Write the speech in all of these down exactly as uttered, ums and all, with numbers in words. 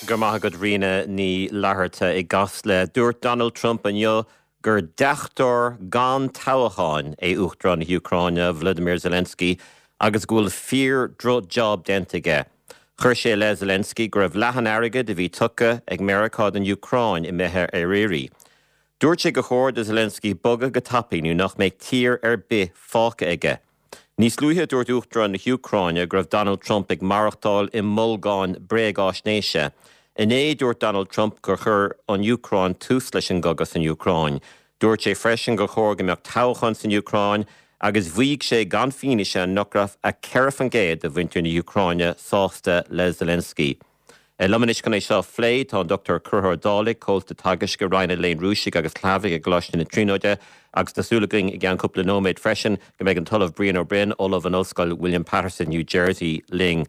Go maith agat Ríona Ní Fhlatharta i gCasla. Dúirt Donald Trump inniu gur deachtóir gan toghchán é Uachtarán na hÚcráine Vladimir Zelensky agus go bhfuil fíor-dhroch-job déanta aige. Chuir sé le Zelensky go raibh leath an airgid a bhí tugtha ag Meiriceá don Úcráin imithe ar iarraidh. Dúirt sé gur chóir do Zelensky bogadh go tapaidh nó nach mbeidh tír ar bith fágtha aige. Níos luaithe dúirt Uachtarán na hÚcráine go raibh Donald Trump ag maireachtáil i mbolgán bréagaisnéise. Inné dúirt Donald Trump gur chuir an Úcráin tús leis an gcogadh san Úcráin. Dúirt sé freisin gur chóir go mbeadh toghchán san Úcráin agus mhaígh sé gan fianaise nach raibh ach ceithre faoin gcéad de mhuintir na hÚcráine sásta le Zelensky. Liom anois chun é seo a phlé tá an Dr Conchúr Ó Dálaigh comhalta teagaisc i Roinn an Léinn Rúisigh agus Shlavaigh i gColáiste na Tríonóide agus tá súil againn i gceann cúpla nóiméad freisin go mbeidh an tOllamh Brian Ó Broin Ollamh in Ollscoil William Patterson, New Jersey linn.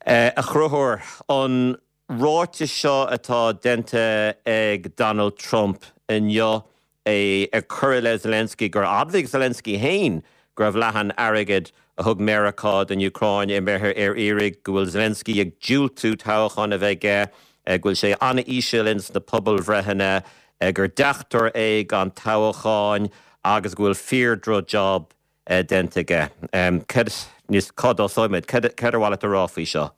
Uh, a Chonchúir an ráiteas seo atá déanta ag Donald Trump inniu é ag cur le Zelensky gur admhaigh Zelensky féin go raibh leath an airgid a thug Meiriceá don Úcráin imithe ar iarraidh go bhfuil Zelensky ag diúltú toghchán a bheith aige go bhfuil sé an-íseal ins na pobalbhreitheanna gur deachtóir é gan toghchán agus go bhfuil fíor-dhroch-job déanta aige. Cad níos cá dtosóimid, cad ar mhaith leat a rá faoi seo?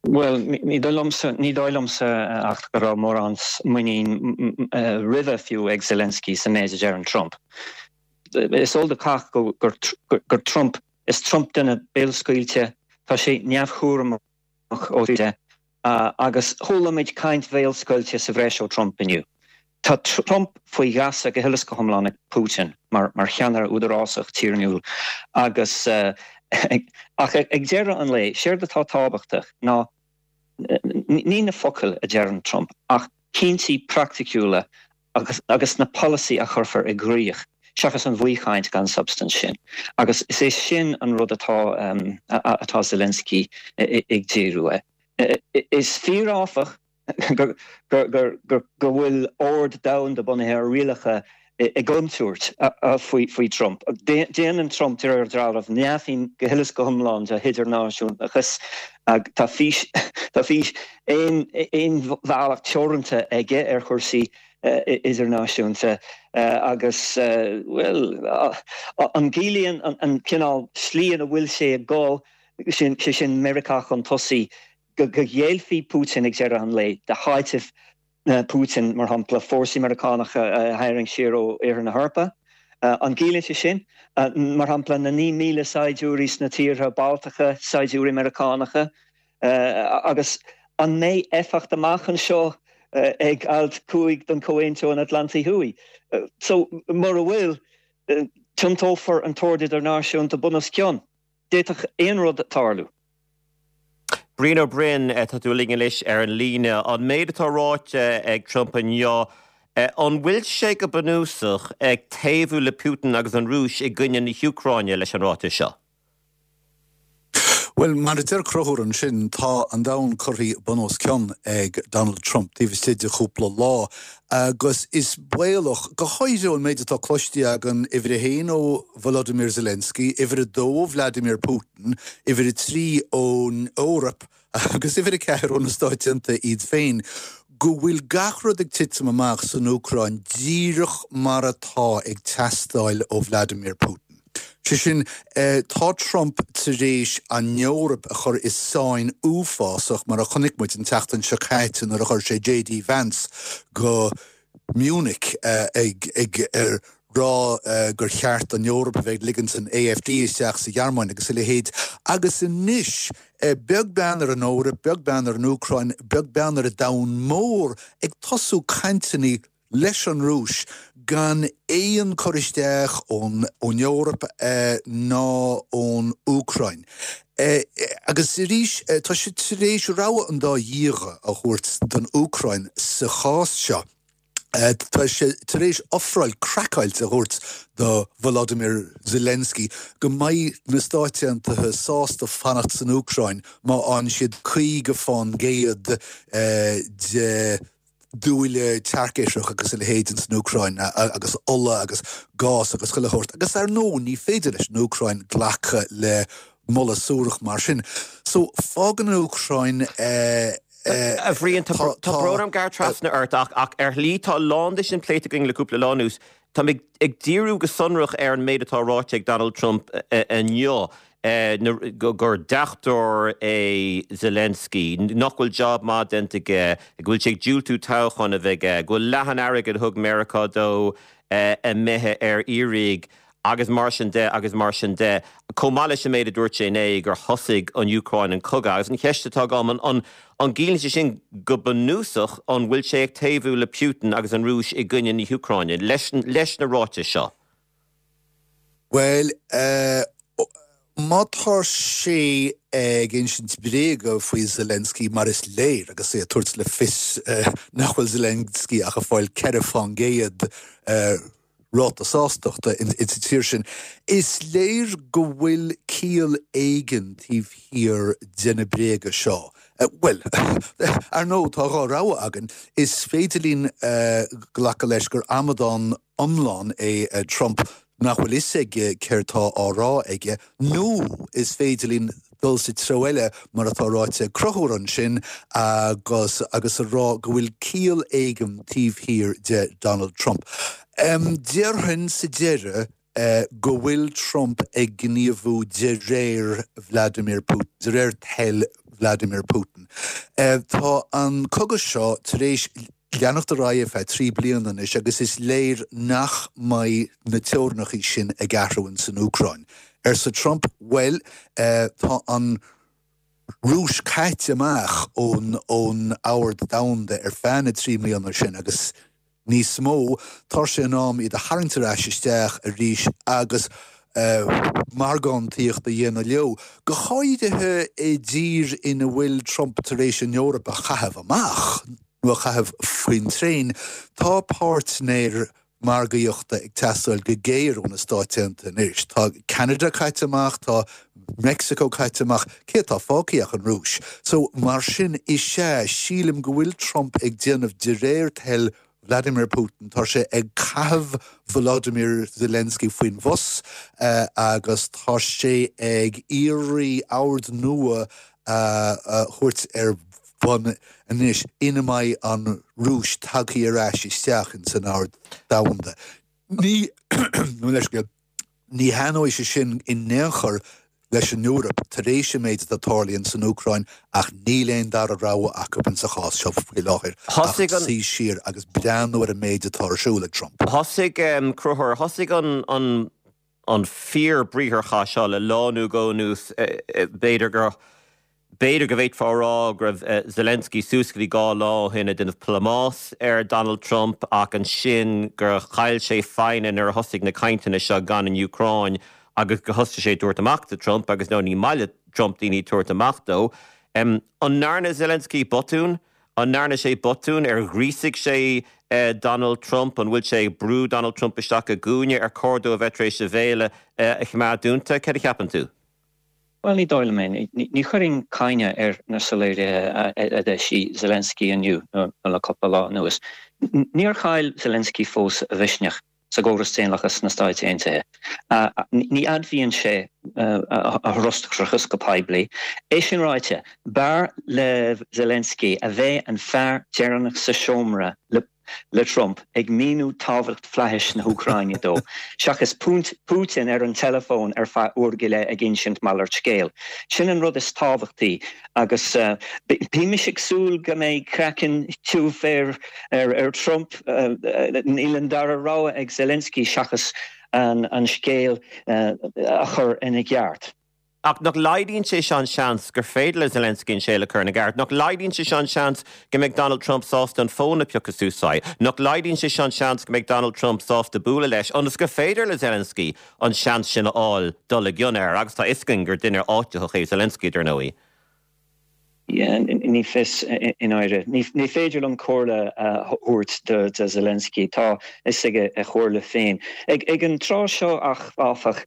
Well, ní dóigh liomsa ní dóigh liomsa ach go raibh mórán muinín roimhe fiú ag Zelensky sa méid a deir Trump. Is eol do chách gur, gur Trump is Trump duine béalscaoilte tá sé neamhchúramach ó de agus chuala muid caint bhéalscaoilte sa bhreis ó Trump inniu. Tá Trump faoi gheasa go huile is go hiomlán ag Putin mar mar cheannaire údarásach tíorúil agus uh, ach ag deireadh an lae séard atá tábhachtach ná ní na focail a deireann Trump ach cinntí praiticiúla agus, agus na polasaithe a chuirfear i gcrích seachas an bhaothchaint gan substaint sin. Agus is é sin an rud atá um, atá Zelensky ag díriú air. Is fíor áfach go bhfuil ord domhanda bunaithe ar rialacha i gcontúirt faoi faoi Trump. Déanann Trump de réir dealraimh neamhshuim go huile is go hiomlán de hidirnáisiúnachas tá fís tá fís aon aon bhealach teoranta aige ar chúrsaí idirnáisiúnta agus well an gciallaíonn an cineál slí ina bhfuil sé ag dul sin sé sin Meiriceá chun tosaigh go go ngéillfidh Putin ag deireadh an lae de háitimh Putin mar shampla fórsaí Meiriceánacha a tharraingt siar ó iarthar na hEorpa. An gciallaíonn sé sin mar shampla na naoi míle saighdiúirí sna tíortha Baltacha saighdiúirí Meiriceánacha agus an mbeidh éifeacht amach anseo ag alt cúig den Chomhaontú an Atlantaigh Thuaidh. So mura bhfuil tiontófar an t-ord idirnáisiúnta bun os cionn. D'fhéadfadh aon rud tarlú. Brian Ó Broin tá tú linn anois ar an líne an méid atá ráite ag Trump inniu an bhfuil sé go bunúsach ag taobhú le Putin agus an Rúis i gcoinne na hÚcráine leis an ráiteas seo. Well mar a deir Conchúr ansin tá an domhan curtha bun os cionn ag Donald Trump taobh istigh de chúpla lá agus is baolach go háirithe an méid atá cloiste againn uimhir a haon ó Volodymyr Zelensky, uimhir a dó Vladimir Putin, uimhir a trí ón Eoraip agus uimhir a ceathair ó na Stáit Aontaithe iad féin. go bhfuil gach rud ag titim amach san Úcráin díreach mar atá ag teastáil ó Vladimir Putin. Sé sin tá Trump tar éis an Eoraip a chur i sáinn uafásach mar a chonaic muid an tseachtain seo caite nuair a chuir sé JD Vance go Munich ag ag ar rá gur cheart an Eoraip a bheith ligint an AFD isteach sa Ghearmáin agus a leithéid agus anois beag bean ar an Eoraip, beag bean ar an Úcráin, beag bean ar an domhan mór ag tosú cainteanna leis an Rúis gan aon chur isteach ón ón Eoraip ná ón Úcráin. Agus arís tá sé tar éis rogha an dá dhíogha a thabhairt don Úcráin sa chás seo. Tá sé tar éis ofráil craiceáilte a thabhairt do Volodymyr Zelensky go mbeidh na Stáit Aontaithe sásta fanacht san Úcráin má fhaigheann siad caoga faoin gcéad de dúile tearcithreach agus a leithéid san Úcráin agus ola agus gás agus chuile shórt. Agus ar ndóigh ní féidir leis an Úcráin glacadh le moladh suarach mar sin. So fágann an Úcráin A Bhriain, tá brón orm gearradh trasna ort ach ach ar shlí tá a lán de sin pléite againn le cúpla lá anuas. Tá mé ag díriú go sonrach ar an méid atá ráite ag Donald Trump inniu gur deachtóir é Zelensky, nach bhfuil job maith déanta aige, go bhfuil sé ag diúltú toghchán a bheith aige, go bhfuil leath an airgid a thug Meiriceá dó imithe ar iarraidh agus mar sin de agus mar sin de. Chomh maith leis an méid a dúirt sé inné gur thosaigh an Úcráin an cogadh agus an cheist atá agam an an gciallaíonn sé sin go bunúsach an bhfuil sé ag taobhú le Putin agus an Rúis i gcoinne na hÚcráine leis, leis na ráitis seo. Well, uh, má tá sé ag insint bréaga faoi Zelensky mar is léir agus é ag tabhairt le fios uh, nach bhfuil Zelensky ach ag fáil ceithre faoin gcéad uh, ráta sástachta in sa tír sin. Is léir go bhfuil ciall éigin taobh thiar de na bréaga seo. Uh, well, ar ndóigh tá dhá rogha againn, is féidir linn uh, glacadh leis gur amadán iomlán é uh, Trump nach bhfuil fhios aige céard atá á rá aige, nó is féidir linn dul sa treo eile mar atá ráite Conchúr ansin agus agus a rá go bhfuil ciall éigin taobh thiar de Donald Trump. Um, Déarfainn sa deireadh uh, go bhfuil Trump ag gníomhú de réir Vladimir Putin, de réir thoil Vladimir Putin. Uh, tá an cogadh seo tar éis leanacht ar aghaidh feadh trí bliana anois agus is léir nach mbeidh na teorainneacha sin ag athrú san Úcráin. Arsa Trump well uh, tá an Rúis caite amach ón ón ord domhanda ar feadh na trí bliana sin agus níos mó tá sé in am iad a tharraingt ar ais isteach arís agus uh, margáíocht a dhéanamh leo. Go háirithe i dtír ina bhfuil Trump tar éis an Eoraip a chaitheamh amach nó a chaitheamh faoin traein, tá páirtnéir margaíochta ag teastáil go géar ó na Stáit Aontaithe anois. Tá Canada caite amach, tá Mexico caite amach, cé atá fágtha ach an Rúis. So mar sin is ea sílim go bhfuil Trump ag déanamh de réir thoil Vladimir Putin tá sé ag caitheamh Volodymyr Zelensky faoin bhus uh, agus tá sé ag iarraidh ord nua uh, uh, thabhairt ar bun anois ina mbeidh an Rúis tagtha ar ais isteach in san ord domhanda. Ní leis ní thaitneoidh sé sin in aon chor leis an Eoraip tar éis an méid atá tarlaithe san Úcráin ach níl aon dara rogha acu sa chás seo faoi láthair suí siar agus breathnú ar an méid atá ar siúl ag Trump. Thosaigh um, Conchúr thosaigh an an an fíor-bhriatharchath seo le lá nó dhó anuas b'fhéidir gur B'fhéidir go bhféadfá a rá go raibh Zelensky suas go dtí dhá lá ó shin ag déanamh plámás ar Donald Trump ach ansin gur chaill sé foighne nuair a thosaigh na cainteanna seo gan an Úcráin agus go thosaigh sé tabhairt amach do Trump agus nó ní maith le Trump daoine tabhairt amach dó. Um, an ndearna Zelensky botún, an ndearna sé botún ar ghríosaigh sé uh, Donald Trump an bhfuil sé brú Donald Trump isteach i gcúinne ar chóir dó a bheith tar éis a bhéal uh, a choimeád dúnta céard a cheapann tú? Well ní dóigh liom é ní chuirfinn cáineadh ar na soiléirithe a d'eisigh Zelensky inniu nó le cúpla lá anuas. Níor chaill Zelensky fós a mhisneach sa gcóras daonlathach sna Stáit Aontaithe. Ní admhaíonn sé a fhrustrachas go poiblí. É sin ráite, b'fhearr le Zelensky a bheith an fear deireanach sa seomra le le Trump ag míniú tábhacht fhlaithis na hÚcráine dó. Seachas Putin ar an telefón ar feadh uair go leith ag insint malairt scéil. Sin an rud is tábhachtaí agus uh, bímis ag súil go mbeidh craiceann tiubh ar ar, ar Trump uh, níl an dara rogha ag Zelensky seachas an, an scéal uh, a chur ina gceart. Ach nach laghdaíonn sé seo an seans gur féidir le Zelensky an scéal a chur ina gceart, nach laghdaíonn sé seo an seans go mbeidh Donald Trump sásta an fón a phiocadh suas, nach laghdaíonn sé seo an seans go mbeidh Donald Trump sásta bualadh leis, ionas gur féidir le Zelensky an seans sin a fháil dul i gcion air, agus tá a fhios againn gur duine áititheach é Zelensky dar ndóigh. Ní fios in áire. Ní féidir liom comhairle thabhairt do do Zelensky tá is aige a chomhairle féin. Ag, ag an tráth seo ach áfach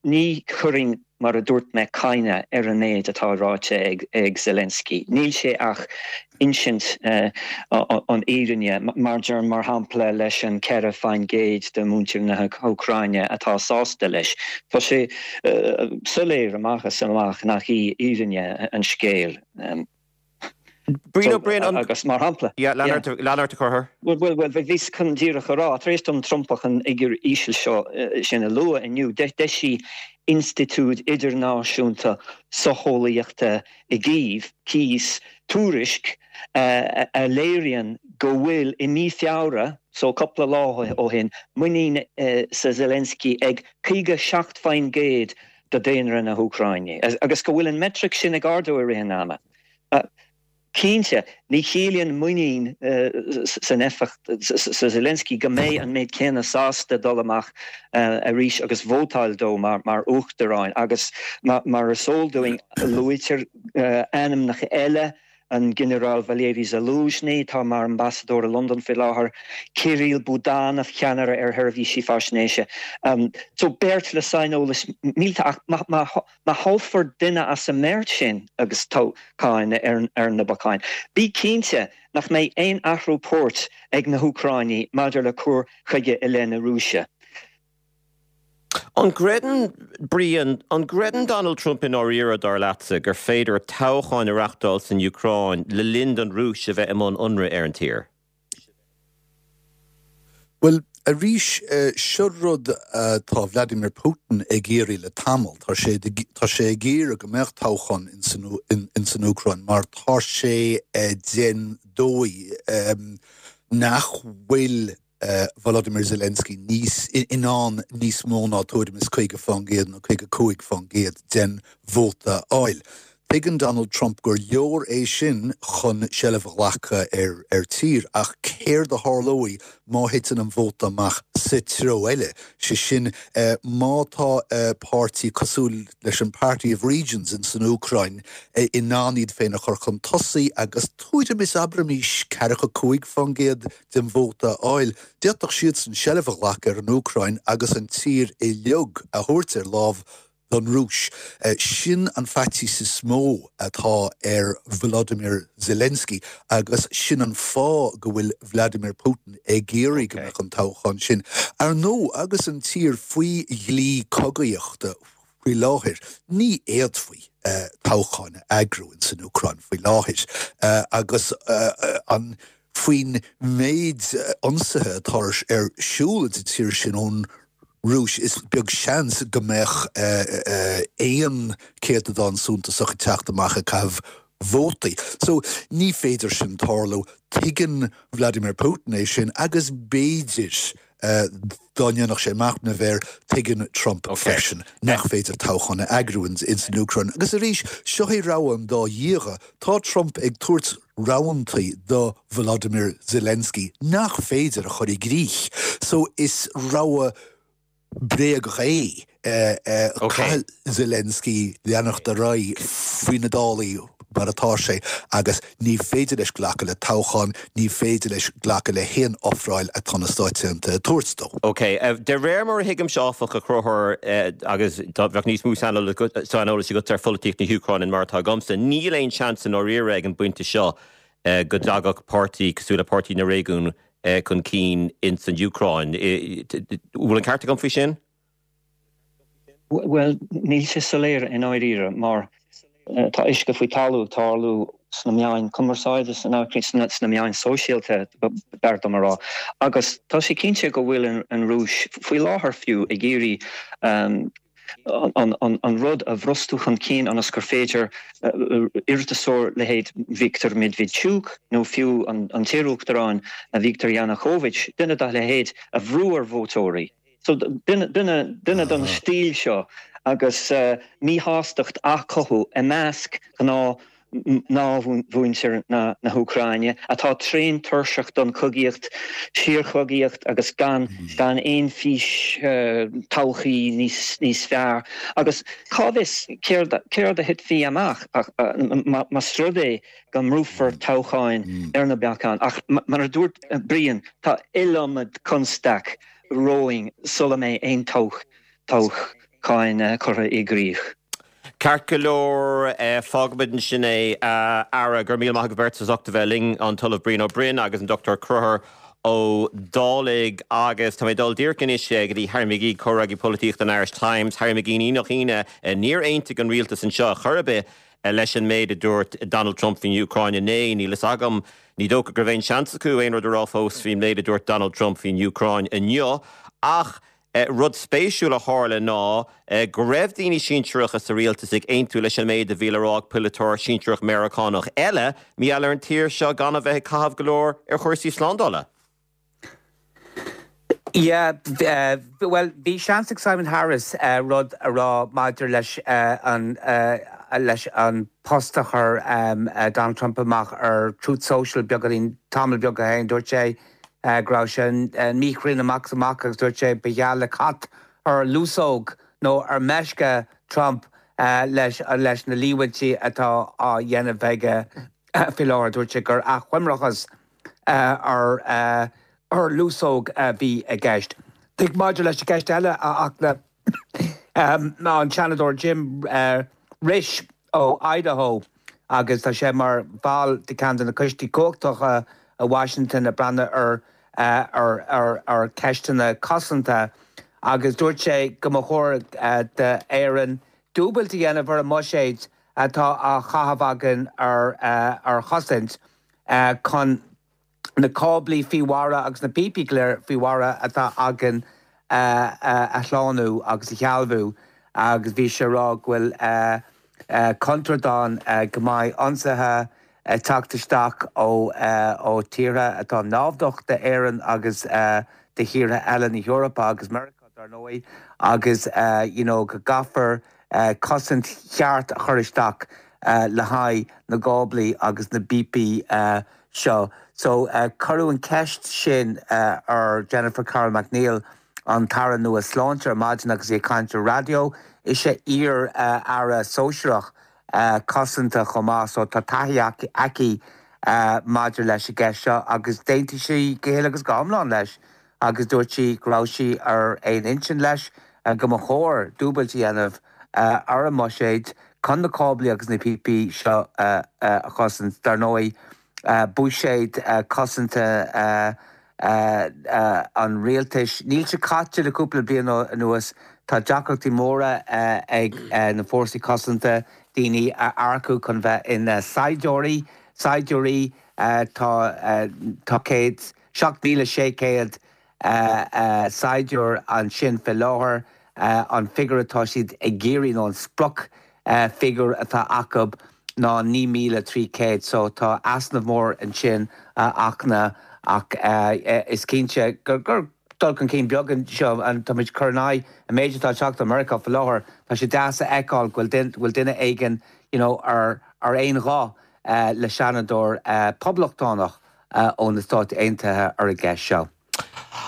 ní chuirfinn mar a dúirt mé cáineadh ar an méid atá ráite ag, ag Zelensky. Níl sé ach insint uh, an fhírinne mar deir mar shampla leis an ceithre faoin gcéad de mhuintir na hÚcráine atá sásta leis. Tá sé uh, soiléir amach is amach nach í fhírinne an scéil. Um, Brian Ó Broin an agus mar shampla. Lean ort a Chonchúir. Well well well bhíos chun díreach a rá tar éis don Trumpach an fhigiúr íseal seo sin a lua inniu d'eisigh Institiúid Idirnáisiúnta Socheolaíochta i gCív, CIIS, tuairisc a léiríonn go bhfuil i mí Feabhra, so cúpla lá ó shin, muinín sa Zelensky ag caoga seacht faoin gcéad de daonra na hÚcráine, agus go bhfuil an metric sin ag ardú i rith an ama. Cinnte, ní chiallaíonn muinín san éifeacht sa Zelensky go mbeidh an méid céanna sásta dul amach arís agus vótáil dó mar mar uachtarán agus mar is eol dúinn luaitear ainmneacha eile an Ginearál Valery Zaluzhny, atá mar ambasadóir i Londain faoi láthair, Kirill Budanov, ceannaire ar sheirbhísí faisnéise. So beirt le saineolas míleata ach má thoghfar duine as an mbeirt sin agus toghchán ar na bacáin, bí cinnte nach mbeidh aon athrú poirt ag na hÚcráinigh maidir le cur chuige i leith na Rúise. An gcreideann, Brian, an gcreideann Donald Trump i ndáiríre, dar leatsa, gur féidir toghchán a reáchtáil san Úcráin le linn don Rúis a bheith i mbun ionraidh ar an tír? Bhuel, arís, seo rud atá Vladimir Putin ag iarraidh le tamall. Tá sé tá sé ag iarraidh go mbeadh toghchán ins an Úcráin mar tá sé den dóigh nach bhfuil Volodymyr Zelensky níos in ann níos mó ná tuairim is caoga faoin gcéad nó caoga cúig faoin gcéad den vóta a fháil. Tuigeann Donald Trump gur leor é sin chun seilbh a ghlacadh ar ar tír, ach céard a tharlóidh má thiteann an vóta amach sa treo eile, sé sin má tá páirtí cosúil leis an Party of Regions in san Úcráin in ann iad féin a chur chun tosaigh agus tuairim is abraimis ceathracha cúig faoin gcéad den vóta a fháil, d'fhéadfadh siadsan seilbh a ghlacadh ar an Úcráin agus an tír uilig a thabhairt ar láimh don Rúis. Sin an faitíos is mó atá ar Volodymyr Zelensky agus sin an fáth go bhfuil Vladimir Putin ag iarraidh go mbeadh an toghchán sin. Ar ndóigh, agus an tír faoi dhlí cogaíochta faoi láthair, ní fhéadfaí toghchán a eagrú in san Úcráin faoi láthair agus an faoin méid ionsaithe atá ar siúl sa tír sin ón Rúis, is beag seans go mbeadh aon céatadán suntasach ag teacht amach ag caitheamh vótaí. So ní féidir sin tarlú. Tuigeann Vladimir Putin é sin agus b'fhéidir dá ndéanfadh sé machnamh air, tuigeann Trump freisin nach féidir toghchán a eagrú ins an Úcráin. Agus arís, seo é rogha an dá dhíogha. Tá Trump ag tabhairt roghantaí do Volodymyr Zelensky nach féidir a chur i gcrích. So is rogha bréagach é. Caithfidh Zelensky leanacht ar aghaidh faoi na dálaí mar atá sé agus ní féidir leis glacadh le toghchán, ní féidir leis glacadh le haon ofráil atá na Stáit Aontaithe ag tabhairt dó. Ok, de réir mar a thuigimse áfach, a Chonchúir, agus dá bheadh níos mó saineolais agat ar pholaitíocht na hÚcráine ná mar atá agamsa, níl aon seans i ndáiríre ag an bpointe seo go dtagadh páirtí cosúil le Páirtí na Réigiún chun cinn ins an Úcráin. Bhfuil an ceart agam faoi sin? Bhuel, níl sé soiléir i ndáiríre mar tá uisce faoi talamh ag tarlú sna meáin cumarsáide san Úcráin, sna meáin sóisialta, b'fhearr dom a rá. Agus tá sé cinnte go bhfuil an Rúis, faoi láthair fiú, ag iarraidh an rud a bhrostú chun cinn ionas gur féidir iarratasóir leithéid Viktor Medvedchuk nó fiú an t-iarUachtarán Viktor Yanukovych, duine dá leithéid, a bhrú ar vótóirí. So duine duine den stíl seo agus míshástacht á cothú i measc gnáth ghnáthmhuintir na hÚcráine, atá tréan tuirseach don chogaíocht, síorchogaíocht agus gan gan aon fhís todhchaí níos níos fearr. Agus cá bhfios céard céard a thitfidh amach más rud é go mbrúfar toghcháin ar na bacáin. Ach mar a dúirt Brian, tá iliomad constaic romhainn sula mbeidh aon toghcháin curtha i gcrích. Ceart go leor, fágfaimid ansin é, a fheara. Go raibh míle maith agaibh beirt as ucht a bheith linn, an tOllamh Brian Ó Broin agus an Dochtúir Conchúr Ó Dálaigh. Agus tá mé ag dul díreach anois go dtí Harry McGee, comhfhreagraí polaitíochta an Irish Times. Harry McGee, ní nach ionadh, níor aontaigh an rialtas anseo chor ar bith leis an méid a dúirt Donald Trump faoin Úcráin inné níl a fhios agam ní dócha go raibh aon seans acu aon rud a rá fós faoin méid a dúirt Donald Trump faoin Úcráin inniu ach eh, rud spéisiúil a tharla ná eh, go raibh daoine sinsearacha sa rialtas ag aontú leis an méid a bhí le rá ag polaiteoir sinsearach Meiriceánach eile mí ar an tír seo gan a bheith ag caitheamh go leor ar chúrsaí slándála. Yeah, uh, well bhí seans ag Simon Harris uh, rud a rá maidir leis uh, an uh, leis an post a chuir um, uh, Donald Trump amach ar Truth Social beagáinín tamall beag ó shin dúirt sé uh, go raibh sin uh, míchruinn amach amach agus dúirt sé ba gheall le cat ar lusóg nó ar meisce Trump uh, leis uh, leis na líomhaintí atá á dhéanamh aige uh, faoi láthair dúirt sé gur achoimreachas uh, ar uh, ar lusóg a bhí i gceist. Tig maidir leis an gceist eile a ach um, an Seanadóir Jim uh, Risch ó Idaho agus tá sé mar bhall de cheann de na coistí cumhachtacha i Washington a breathnaíonn ar uh, ar ar ar ceisteanna cosanta agus dúirt sé go mba chóir uh, d'Éirinn dúbailt a dhéanamh ar an mbuiséad atá á chaitheamh againn ar uh, ar chosaint uh, chun na cáblaí faoi mhara agus na píopaí go léir faoi mhara atá againn uh, uh, a shlánú agus a shealbhú agus bhí sé rá go bhfuil uh, uh, contúirt ann uh, go mbeidh ionsaithe uh, teacht isteach ó uh, ó tíortha atá naimhdeach d'Éirinn agus uh, de thíortha eile na hEorpa agus Meiriceá dar ndóigh agus uh, you know, go gcaithfear uh, cosaint cheart a chur isteach uh, le haghaidh na gcáblaí agus na bpíopaí uh, seo. So uh, cuireadh an cheist sin uh, ar Jennifer Carroll MacNeill an tAire nua Sláinte ar maidin agus í ag caint ar raidió is í iar uh, aire sóisearach uh, cosanta chomh maith so tá taithí aici uh, maidir leis an gceist seo agus d'aontaigh sí go huile agus go hiomlán leis agus dúirt sí go raibh sí ar aon intinn leis uh, go mba chóir dúbailt a dhéanamh uh, ar an mbuiséad chun na cáblaí agus na píopaí seo uh, uh, a chosaint dar ndóigh uh, buiséad uh, cosanta uh, uh, uh, an rialtais. Níl sé caite le cúpla bliain anuas tá deacrachtaí móra uh, ag uh, na fórsaí cosanta daoine a earcú chun bheith ina saighdiúirí saighdiúirí uh, tá uh, tá céad seacht míle sé céad uh, uh, saighdiúir ansin faoi láthair uh, an figiúr atá siad ag iarraidh nó an sprioc uh, figiúr atá acu ná naoi míle trí céad, so tá easnamh mór ansin uh, achna ach uh, is cinnte gur gur dul chun cinn beag seo an tá churnai a méid atá teacht America faoi láthair tá sé deas a fheiceáil go bhfuil duine éigin you know, ar ar aon ghuth uh, le seanadóir uh, poblachtánach uh, ó na Stáit Aontaithe ar an gceist seo.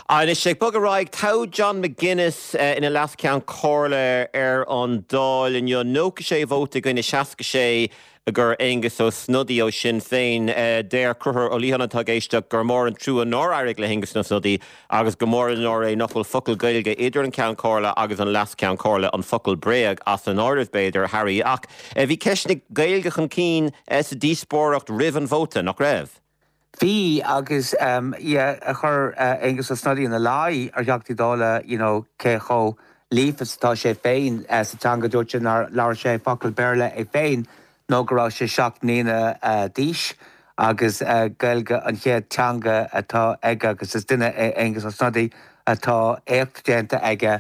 Anois sé bog ar aghaidh toghadh John McGuinness uh, ina Leas-Cheann Comhairle ar an Dáil inniu nócha sé vóta i gcoinne seasca sé gur Aengus Ó Snodaigh ó Sinn Féin uh, deir Conchúr Ó Liatháin atá ag éisteacht gur mór an trua nár éirigh le hAengus Ó Snodaigh agus go mór an náire é nach bhfuil focal Gaeilge idir an Ceann Comhairle agus an Leas-Cheann Comhairle an focal bréag as an áireamh b'fhéidir Harry ach uh, bhí ceist na Gaeilge chun cinn uh, sa díospóireacht roimh an vóta nach raibh. Bhí agus um, yeah, a chuir uh, Aengus Ó Snodaigh ina luí ar Theachtaí Dála you know, cé chomh líofa atá sé féin uh, sa teanga dúirt nár labhair sé focal Béarla é féin nó go raibh sé seacht mbliana uh, d'aois agus uh, Gaeilge an chéad teanga atá aige agus is duine é Aengus Ó Snodaigh atá éacht déanta aige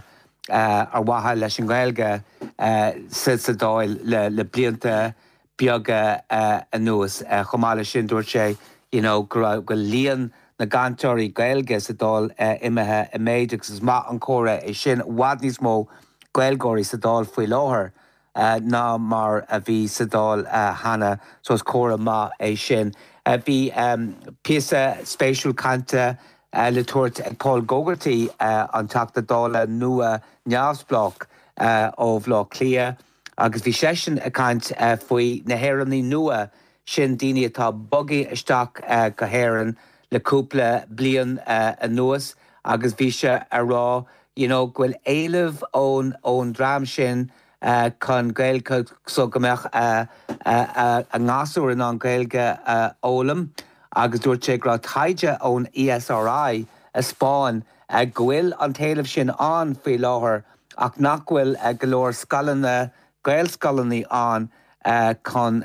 uh, ar mhaithe leis an Ghaeilge uh, sa sa Dáil le, le blianta beaga uh, anuas uh, chomh maith leis sin dúirt sé you know, go go líon na gcainteoirí Gaeilge sa Dáil uh, imithe i méid agus is maith an comhartha é sin i bhfad níos mó Gaeilgeoirí sa Dáil faoi láthair. Uh, ná mar a bhí sa Dáil uh, cheana so is comhartha maith é sin. Uh, bhí um, píosa spéisiúil cainte uh, le tabhairt ag Paul Gogarty uh, an Teachta Dála nua neamhspleách uh, ó Bhaile Átha Cliath agus bhí seisean ag caint uh, faoi na hÉireannaigh nua sin daoine atá bogtha isteach uh, go hÉirinn le cúpla bliain uh, anuas agus bhí sé ag rá you know, go bhfuil éileamh ón ón dream sin uh, chun Gaeilge so go mbeadh uh, uh, uh, a ngasúir in ann Gaeilge uh, fhoghlaim agus dúirt sé go raibh taighde ón ESRI a thaispeáin uh, go bhfuil an t-éileamh sin ann faoi láthair ach nach bhfuil uh, go leor scoileanna Gaelscoileanna ann chun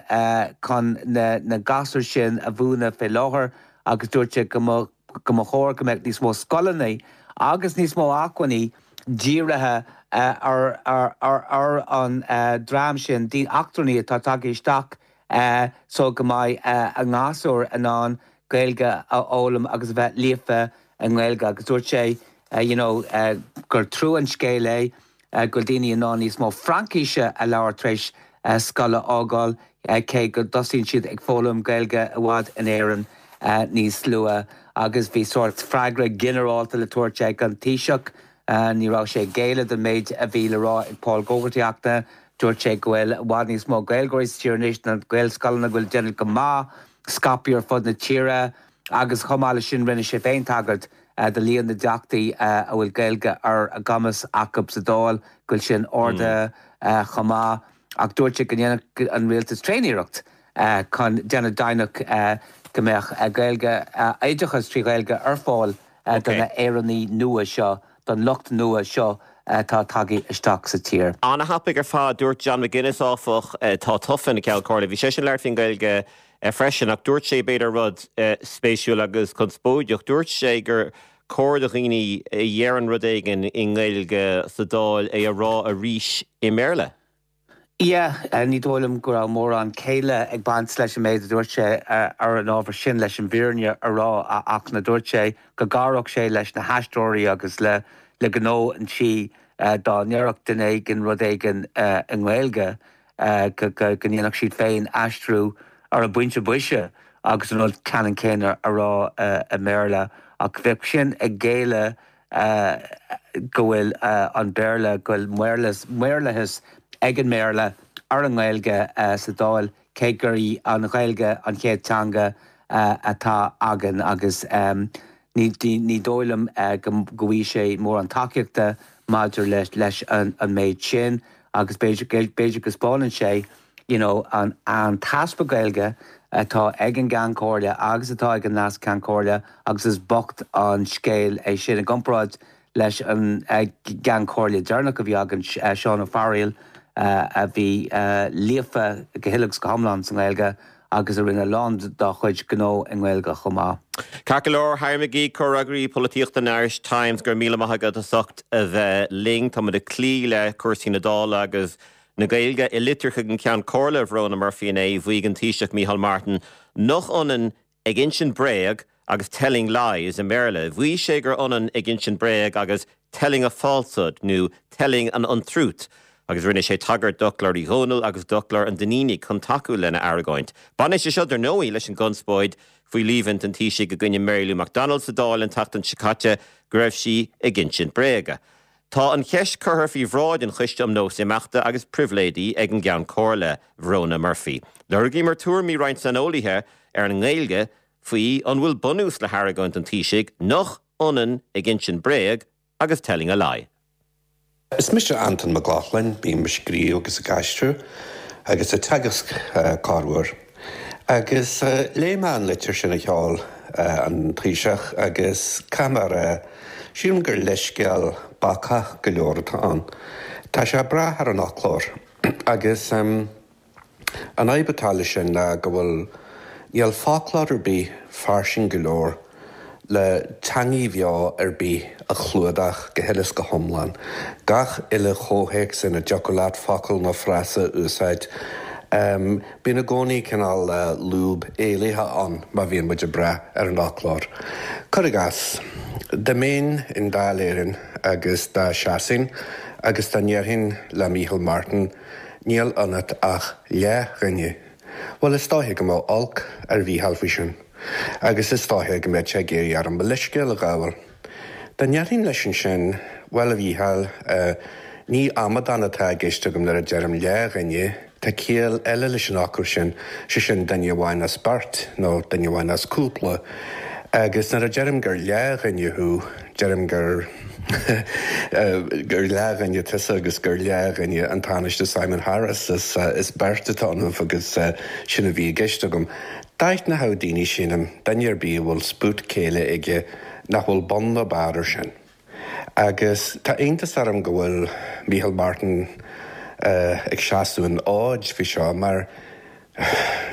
chun na na gasúir sin a mhúineadh fé láthair agus dúirt sé go mba go mba chóir go mbeadh níos mó scoileanna agus níos mó acmhainní dírithe ar ar ar ar an dream sin daoine eachtrannaigh atá tagtha isteach so go mbeidh a ngasúir in ann Gaeilge a fhoghlaim agus a bheith líofa i nGaeilge agus dúirt sé you know gur trua an scéal é go bhfuil daoine in ann níos mó Fraincise a labhairt tar éis scoil a fhágáil cé go dtosaíonn siad ag foghlaim Gaeilge i bhfad in Éirinn níos luaithe agus bhí sórt freagra ginearálta le tabhairt ag an Taoiseach. Ní raibh sé ag géilleadh don méid a bhí le rá ag Paul Gogarty ach dúirt sé go bhfuil i bhfad níos mó Gaeilgeoirí sa tír anois na Gaelscoileanna go bhfuil déanamh go maith scaipthe ar fud na tíre agus chomh maith leis sin rinne sé féin tagairt do líon na dteachtaí a bhfuil Gaeilge ar a gcumas acu sa Dáil go bhfuil sin ardaithe chomh maith ach dúirt sé go ndéanfadh an rialtas tréaniarracht chun déanamh deimhneach go mbeadh Gaeilge oideachas trí Ghaeilge ar fáil do na hÉireannaigh nua seo, don lucht nua seo atá tagtha isteach sa tír. An-thapaidh ar fad, dúirt John McGuinness áfach, atá tofa ina Cheann Comhairle, bhí seisean ag labhairt faoin Ghaeilge freisin ach dúirt sé b'fhéidir rud spéisiúil agus conspóideach, dúirt sé gur cóir do dhaoine a dheireann rud éigin i nGaeilge sa Dáil é a rá arís i mBéarla. Yeah, ní dóigh liom go raibh mórán céille ag baint leis an méid a dúirt sé ar an ábhar sin leis an bhfírinne a rá ach na dúirt sé go gcabhródh sé leis na haisteoirí agus le le gnó an tí dá ndéarfadh duine éigin rud éigin i nGaeilge go go ndéanfadh siad féin aistriú ar an bpointe boise agus an rud ceannann céanna a rá i mBéarla ach bheadh sin ag géilleadh go bhfuil an Béarla go bhfuil maorlathas ag an mBéarla ar an nGaeilge sa Dáil cé gur í an Ghaeilge an chéad teanga atá againn agus ní ní dóigh liom go bhfaighidh sé mórán tacaíochta maidir leis leis an an méid sin agus b'fhéidir b'fhéidir go spáineann sé you know, an an t-easpa Gaeilge atá ag an gCeann Comhairle agus atá ag an Leas-Cheann Comhairle agus is bocht an scéal é sin i gcomparáid leis an gCeann Comhairle deireanach a bhí againn Seán Ó Fearghaíl a bhí líofa go huile is go hiomlán sa nGaeilge agus a rinne a lán dá chuid gnó i nGaeilge chomh maith. Ceart go leor, Harry McGee, comhfhreagraí polaitíochta an Irish Times, go raibh míle maith agat as ucht a bheith linn. Táimid ag cloí le cúrsaí na Dála agus na Gaeilge i litir chuig an Ceann Comhairle Verona Murphy inné, mhaígh an Taoiseach Micheál Martin nach ionann ag insint bréag agus telling lies i mBéarla. Mhaígh sé gur ionann ag insint bréag agus telling a falsehood nó telling an untruth. agus rinne sé tagairt d'fhoclóir Uí Dhónaill agus d'fhoclóir an Duinnínigh chun tacú lena argóint. Baineann sé seo dar ndóigh leis an gconspóid faoi líomhain an Taoisigh i gcoinne Mary Lou McDonald sa Dáil an tseachtain seo caite go raibh sí ag insint bréaga. Tá an cheist curtha faoi bhráid an Choiste um Nós Imeachta agus Pribhléidí ag an gCeann Comhairle Verona Murphy. Lorgaíomar tuairimí roinnt saineolaithe ar an nGaeilge faoi an bhfuil bunús le hargóint an Taoisigh nach ionann ag insint bréag agus telling a lie. Is mise Anton Mac Lochlainn, bím ag scríobh agus ag aistriú agus ag teagasc corruair. Agus léigh mé an litir sin a sheol an Taoiseach agus caithfidh mé a rá sílim gur leithscéal bacach go leor atá ann. Tá sé ag brath ar an fhoclóir agus um, an fhadhb atá leis sin ná go bhfuil níl foclóir ar bith fairsing go leor le teanga bheo ar bith a chlúdach go huile is go hiomlán. Gach uile chomhthéacs ina dtiocfadh leat focal nó frása a úsáid. Um, Bíonn i gcónaí cineál uh, lúb éalaithe ann má bhíonn muid ag brath ar an fhoclóir. Cuir i gcás, dá mbeinn i nDáil Éireann agus dá seasfainn agus dá ndéarfainn le Micheál Martin, níl ionat ach leathdhuine. Well is dóiche go mbeadh olc ar Mhícheál faoi sin, agus is dóiche go mbeadh sé ag iarraidh orm mo leithscéal a ghabháil. Dá ndéarfainn leis ansin, bhuel a Mhícheáil, uh, ní amadán atá i gceist agam nuair a deirim leathdhuine, Tá ciall eile leis an fhocal sin sé sin duine amháin as beirt nó duine amháin as cúpla. Agus nuair a deirim gur leathdhuine thú, deirim gur gur leathdhuine tusa agus gur leathdhuine an Tánaiste Simon Harris is, uh, is beirt atá ionaibh agus uh, sin a bhí i gceist agam. D'aithneodh daoine sin duine ar bith a bhfuil spút céille aige nach bhfuil bun ná barr air sin. Agus tá iontas orm go bhfuil Micheál Martin ag seasamh an fhóid faoi seo mar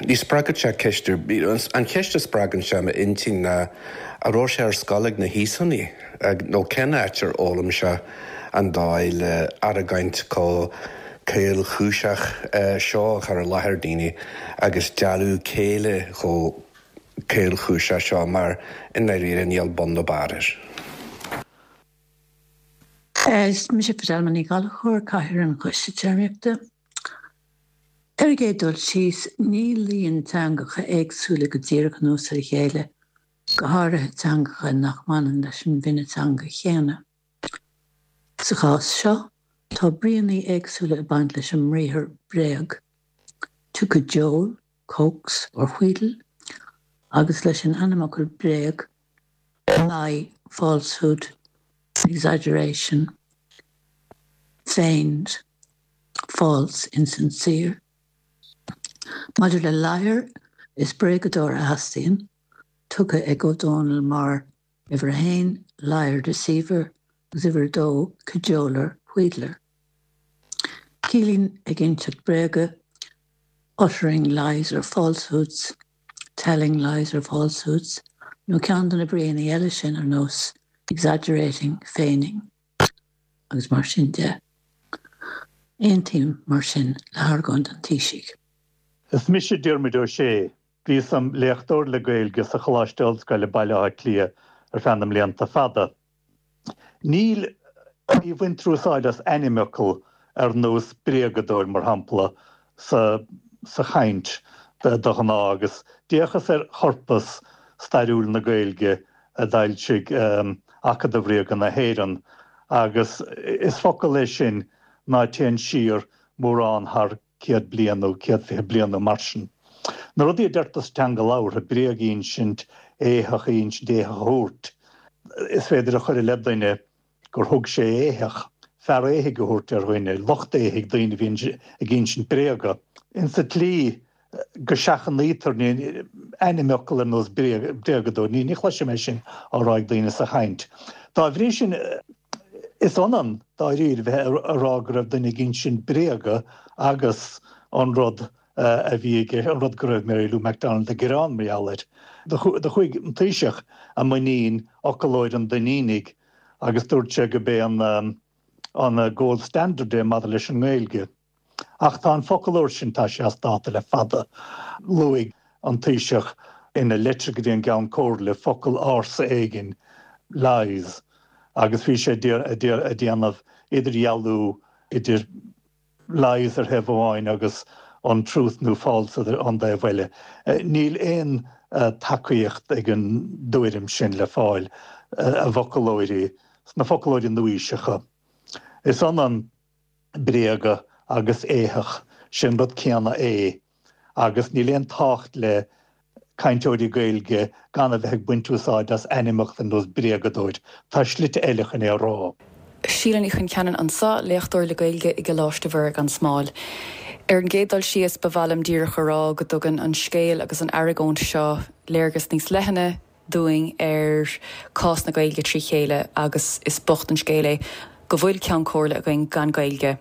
ní spreagann sé ceist ar bith. An cheist a spreagann sé m'intinn ná an raibh sé ar scoil ag na hÍosánaigh nó cén áit ar fhoghlaim sé an dóigh le argóint chomh caolchúiseach seo a chur i láthair daoine agus dealú céille chomh caolchúiseach seo mar i ndáiríre níl bun ná barr air. Is mise Fidelma Ní Ghallchóir, Cathaoirleach an Choiste Téarmaíochta. Ar an gcéad dul síos, ní luíonn teangacha éagsúla go díreach anuas ar a chéile, go háirithe teangacha nach mbaineann leis an bhfine teanga chéanna. Sa chás seo, tá bríonna éagsúla ag baint leis an mbriathar bréag, to cajole, coax or wheedle, agus leis an ainmfhocal bréag, lie, falsehood, exaggeration, feigned, false, insincere. Maidir le liar, is bréagadóir a theastaíonn, tugtha ag Ó Dónaill mar uimhir a haon, liar, deceiver, agus uimhir a dó, cajoler, wheedler. Ciallaíonn ag inseacht bréaga, uttering lies or falsehoods, telling lies or falsehoods, nó ceann de na bríonna eile sin ar nós exaggerating, feigning, agus mar sin de. Aontaím mar sin le hargóint an Taoisigh. Is mise Diarmuid Ó Sé. Bhíos im léachtóir le Gaeilge sa Choláiste Ollscoile Baile Átha Cliath ar feadh na mblianta fada. Níl, ní bhaintear úsáid as ainmfhocal ar nós bréagadóir, mar shampla, sa sa chaint de ghnáth agus d'fhéachas ar chorpas stairiúil na Gaeilge a d'fhoilsigh Acadamh Ríoga na hÉireann agus is focal é sin ná téann siar mórán thar céad bliain nó céad fiche bliain nó mar sin. Na rudaí a deirtear sa teanga labhartha, bréag a insint, éitheach a insint, éitheach a thabhairt, is féidir a chur i leith duine gur thug sé éitheach, fear éithigh a thabhairt ar dhuine, lucht éithigh, daoine a bhíonn ag insint bréaga. Insa tslí go seachnaítear ainmfhocal ar nós bréagadóir, ní chloisim é sin á rá ag daoine sa chaint. Dá bhrí sin, is ionann dáiríre bheith ag rá go raibh duine ag insint bréaga agus an rud a bhí aige, an rud go raibh Mary Lou McDonald ag gearán mar gheall air. Do chuaigh an Taoiseach i muinín fhoclóir an Duinnínigh agus dúirt sé gurb é an gold standard é maidir leis an nGaeilge. Ach tá an foclóir sin, tá sé as dáta le fada. Luaigh an Taoiseach ina leitir go dtí an gCeann Comhairle focal ársa éigin, lies, agus bhí sé ag déanamh idirdhealú idir lies ar thaobh amháin agus untruth nó false ar an dtaobh eile. Níl aon tacaíocht ag an dtuairim sin le fáil i bhfoclóirí, sna foclóirí nua-aoiseacha. Is ionann bréaga agus éitheach, sin rud céanna é, agus níl aon tábhacht le cainteoirí Gaeilge gan a bheith ag baint úsáid as ainmfhocal ar nós bréagadóir. Tá slite eile chun é a rá. Síle Ní Choncheanainn anseo, léachtóir le Gaeilge i gColáiste Mhuire gan Smál. Ar an gcéad dul síos, ba mhaith liom díreach a rá go dtugann an scéal agus an argóint seo léargas níos leithne dúinn ar cás na Gaeilge trí chéile agus is bocht an scéal é go bhfuil Ceann Comhairle againn gan Gaeilge.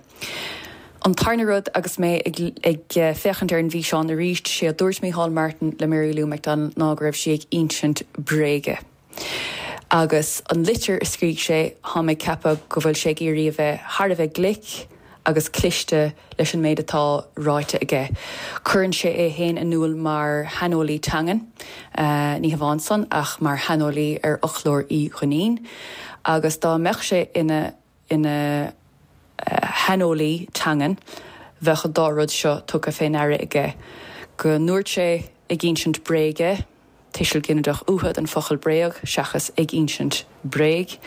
An tarna rud agus mé ag, ag féachaint ar an bhfíseán arís, sé a dúirt Micheál Martin le Mary Lou McDonald ná go raibh sí ag insint bréige. Agus an litir a scrígh sé tá mé ag ceapadh go bhfuil sé ag iarraidh a bheith thar a bheith glic agus cliste leis an méid atá ráite aige. Cuireann sé é féin in iúl mar shaineolaí teangan, ní hamháin san ach mar shaineolaí ar fhoclóir Uí Dhuinnín, agus dá mbeadh sé ina ina shaineolaí teangan, bheadh an dá rud seo tugtha fé ndeara aige, go ndúirt sé ag insint bréige, tuiseal ginideach uatha den focal bréag seachas ag insint bréag.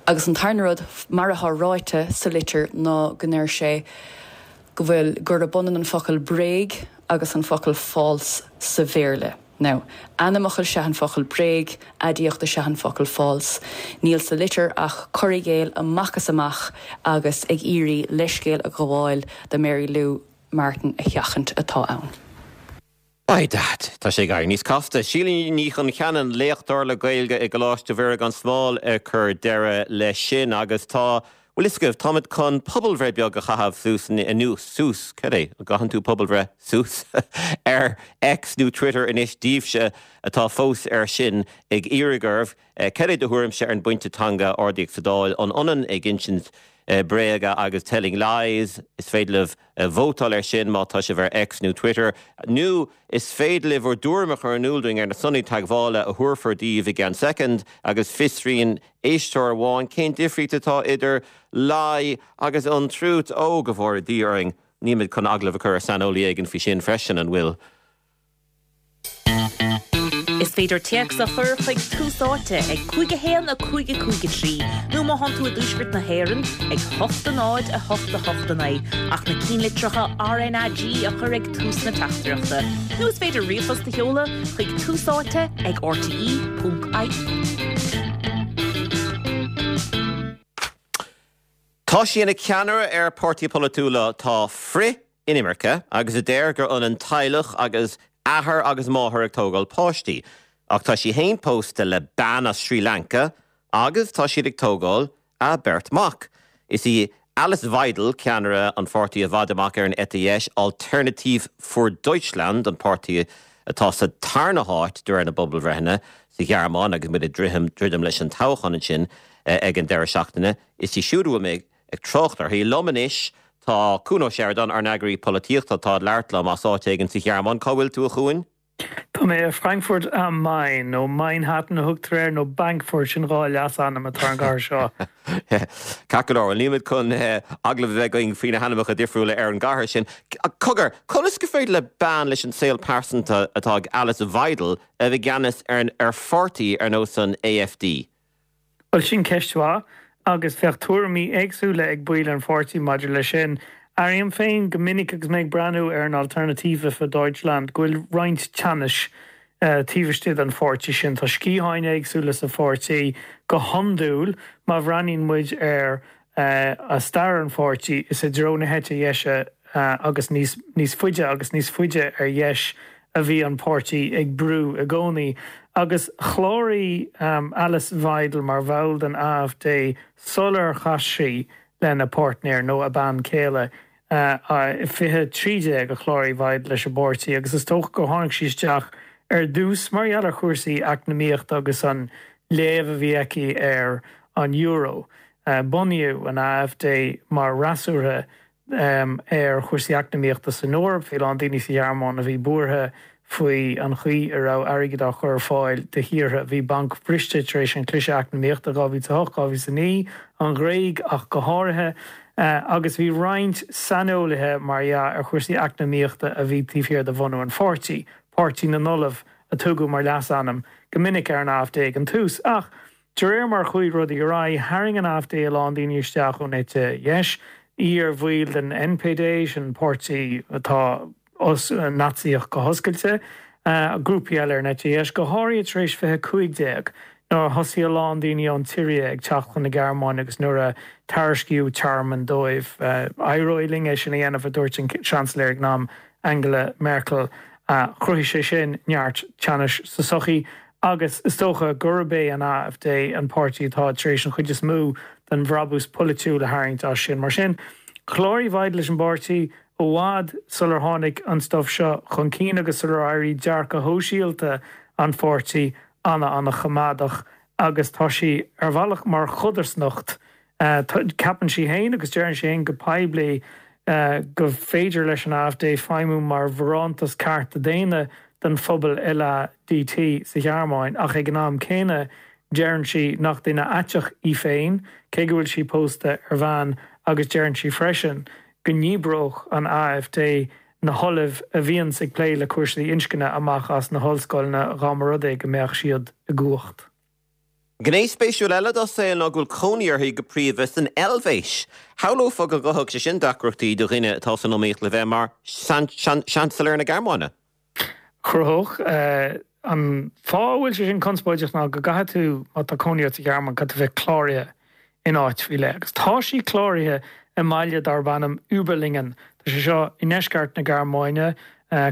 Agus an tarna rud, mar atá ráite sa litir ná go ndeir sé go bhfuil gurb ionann an focal bréag agus an focal false sa Bhéarla. Now, ainmfhocal is ea an focal bréag, aidiacht is ea an focal false. Níl sa litir ach cur i gcéill amach is amach agus ag iarraidh leithscéal a ghabháil do Mary Lou Martin a sheachaint atá ann. By dad, tá sé ag éirí níos casta. Síle Ní Choncheanainn, léachtóir le Gaeilge i gColáiste Mhuire gan Smál ag cur deireadh leis sin agus tá, Bhfuil fhios agaibh, táimid chun pobalbhreith beag a chaitheamh suas anuas, suas, cad é, an gcaitheann tú pobalbhreith suas ar X nó Twitter anois daoibhse atá fós air sin ag iarraidh oraibh, cad é do thuairimse ar an bpointe teanga a ardaíodh sa Dáil, an ionann ag insint bréaga agus telling lies, is féidir libh vótáil air sin má tá sibh ar X nó Twitter, nó is féidir libh bhur dtuairim a chur in iúl dúinn ar na sonraí teagmhála a thabharfar daoibh i gceann soicind agus fiosraíonn éisteoir amháin cén difríocht atá idir lie agus untruth. Ó, go bhfóire Dia orainn, nílimid chun agallamh a chur ar saineolaí éigin faoi sin freisin, an bhfuil? Is féidir téacs a chur chuig Tús Áite ag cúig a haon a cúig a cúig a trí nó má thánn tú i dtuaisceart na hÉireann ag hocht a náid a hocht a hocht a naoi ach na cinnlitreacha RnaG a chur ag tús na teachtaireachta. Nó is féidir ríomhphost a sheoladh chuig Tús Áite ag rte ponc ie. Tá sí ina ceannaire ar pháirtí polaitiúil atá frith-inimirce agus a deir gur ionann teaghlach agus athair agus máthair ag tógáil páistí. Ach tá sí fhéin pósta le bean as Srí Lanca agus tá siad ag tógáil a beirt mac. Is í Alice Weidel ceannaire an pháirtí i bhfad amach ar an eite dheis, Alternative für Deutschland, an páirtí atá sa tarna háit de réir na bpobalbhreitheanna sa Ghearmáin agus muid ag druidim leis an toghchán ansin ag an deireadh seachtaine. Is í siúd a bhfuil mé ag trácht uirthi. Liom anois tá Cuan Ó Seireadáin, ár n-eagraí polaitíochta, atá ag labhairt liom as áit éigin sa Ghearmáin. Cá bhfuil tú, a Chuain? Tá mé i Frankfurt am Main, nó Mainhattan a thugtar air, nó Bankfurt, sin dhá leasainm atá ar an gcathair seo. Ceart go leor, bhuel nílimid chun agallamh a bheith againn faoi na hainmneacha difriúla ar an gcathair sin. Cogar, conas gur féidir le bean leis an saol pearsanta atá ag Alice Weidel a bheith i gceannas ar pháirtí ar nós an AfD? Bhuel, sin ceist mhaith, agus bheadh tuairimí éagsúla ag baill an pháirtí maidir leis sin. Airím féin go minic agus mé ag breathnú ar an Alternative für Deutschland go bhfuil roinnt teannais taobh istigh den pháirtí sin. Tá sciatháin éagsúla sa pháirtí. Go hiondúil, má bhreathnaíonn muid ar stair an pháirtí, is i dtreo na heite dheise agus níos níos faide agus níos faide ar dheis a bhí an páirtí ag brú i gcónaí. Agus chláraigh Alice Weidel mar bhall den AfD sular chas sí lena páirtnéir nó a bean chéile. I fiche trí déag a chláraigh Weidel leis an bpáirtí agus is dócha gur tháinig sí isteach ar dtús mar gheall ar chúrsaí eacnamaíochta agus an léamh a bhí aici ar an euro. Bunaíodh an AfD mar fhreasúra ar chúrsaí eacnamaíochta san Eoraip. Bhí a lán daoine sa Ghearmáin a bhí buartha faoi an chaoi a raibh airgead á chur ar fáil do thíortha a bhí bancbhriste tar éis an chliseadh eacnamaíochta dhá mhíle a hocht, dhá mhíle a naoi, an Ghréig ach go háirithe, agus bhí roinnt saineolaithe, mar dhea, ar chúrsaí eacnamaíochta a bhí taobh thiar de bhunú an pháirtí, Páirtí na nOllamh a tugadh mar leasainm go minic ar an AfD ag an tús. Ach de réir mar a chuaigh rudaí ar aghaidh, tharraing an AfD a lán daoine isteach ón eite dheis, iar-bhaill den NPD, sin páirtí atá Naitsíoch go hoscailte, grúpaí eile ar an eite dheis, go háirithe tar éis fiche cúig déag, nuair a thosaigh a lán daoine ón tSiria ag teacht chun na Gearmáine agus nuair a tairiscíodh tearmann dóibh. Éireoidh linn é sin a dhéanamh, a dúirt an Seansailéir ag an am, Angela Merkel. Chruthaigh sé sin neart teannais sa tsochaí agus is dócha gurb é an AfD an páirtí atá tar éis an chuid is mó den bhrabús polaitiúil a tharraingt as sin. Mar sin, chláraigh Weidel leis an bpáirtí i bhfad sular tháinig an stuif seo chun cinn agus sular éirigh dearcadh shóisialta an pháirtí ana-ana-choimeádach agus tá sí ar bhealach mar chodarsnacht. Ceapann sí féin agus deireann sí féin go poiblí go féidir leis an AfD feidhmiú mar bharántas cearta daonna don phobal LADT sa Ghearmáin ach ag an am céanna deireann sí nach duine aiteach í féin, cé go bhfuil sí pósta ar bhean agus deireann sí freisin go ndíbreodh an AfD na hollaimh a bhíonns ag plé le cúrsaí inscne amach as na hollscoileanna dá mba rud é go mbeadh siad i gcumhacht. Gné spéisiúil eile dá saol ná go bhfuil cónaí uirthi go príomha san Eilvéis. Shamhlófá go gcothódh sé sin deacrachtaí do dhuine atá san iomaíocht le bheith mar Seansailéir na Gearmáine. Chruthódh. An fáth a bhfuil sé sin conspóideach ná go gcaithfidh tú, má tá cónaí ort sa Ghearmáin, caithfidh tú bheith cláraithe in áit faoi leith. Agus tá sí cláraithe i mbaile darb ainm Überlingen. Tá sé seo i ndeisceart na Gearmáine,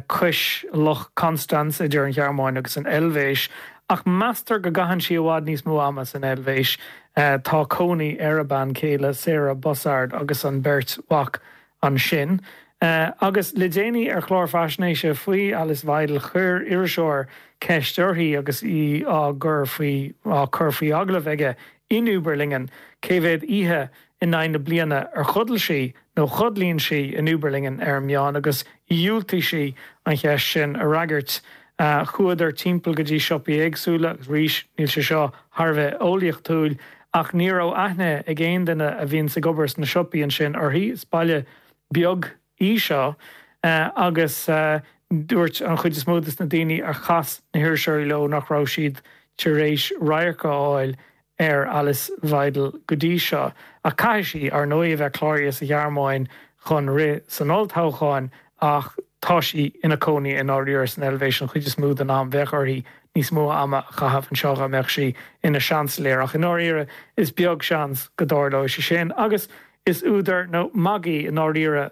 cois Loch Constance, idir an Ghearmáin agus an Eilvéis, Ach meastar go gcaitheann sí i bhfad níos mó ama san Eilvéis. Tá cónaí ar a bean chéile Sarah Bussard agus an beirt mhac ansin. Agus le déanaí ar chlár faisnéise faoi Alice Weidel chuir iriseoir ceist uirthi agus í á gcur faoi á cur faoi agallamh aige in Überlingen cé mhéad oíche in aghaidh na bliana ar chodail sí nó chodlaíonn sí in Überlingen ar an meán agus dhiúltaigh sí an cheist sin a fhreagairt. Chuadar timpeall go dtí siopaí éagsúla agus arís níl sé seo thar a bheith eolaíochtúil ach ní raibh aithne ag aon duine a bhíonns ag obair sna siopaí ansin uirthi. Is baile beag í seo agus dúirt an chuid is mó de na daoine ar chas na hiriseoirí leo nach raibh siad tar éis radharc a fháil ar Alice Weidel go dtí seo. Ach caithfidh sí, ar ndóigh, a bheith cláraithe sa Ghearmáin chun rith san olltoghchán ach tá sí ina cónaí i ndáiríre san Eilvéis an chuid is mó den am. Bheadh uirthi níos mó ama a chaitheamh anseo dá mbeadh sí ina seansailéir ach i ndáiríre is beag seans go dtarlóidh sé sin. Agus Is údar nó magaidh i ndáiríre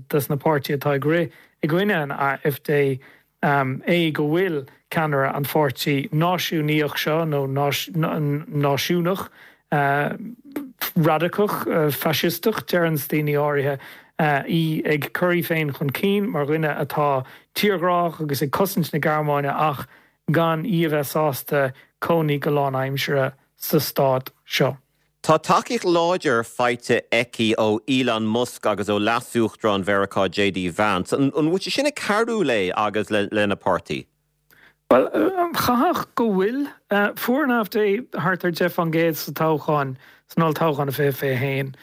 dos na páirtithe atá ag rith i gcoinne an AfD é go bhfuil ceannaire an pháirtí náisiúnaíoch seo, nó náisiúnach radacach, faisisteach, deireanns daoine áirithe, í ag cur í féin chun cinn mar dhuine atá tírghrách agus ag cosaint na Gearmáine ach gan í a bheith sásta cónaí go lánaimseartha sa stát seo. Tá tacaíocht láidir faighte aici ó Elon Musk agus ó Leas-Uachtarán Mheiriceá JD Vance. An bhfuil sé sin ag cabhrú léi agus lena páirtí? Bhuel, chaithfeadh go bhfuil. Fuair an AfD thart ar deich faoin gcéad sa toghchán, san olltoghchán i fiche fiche a haon,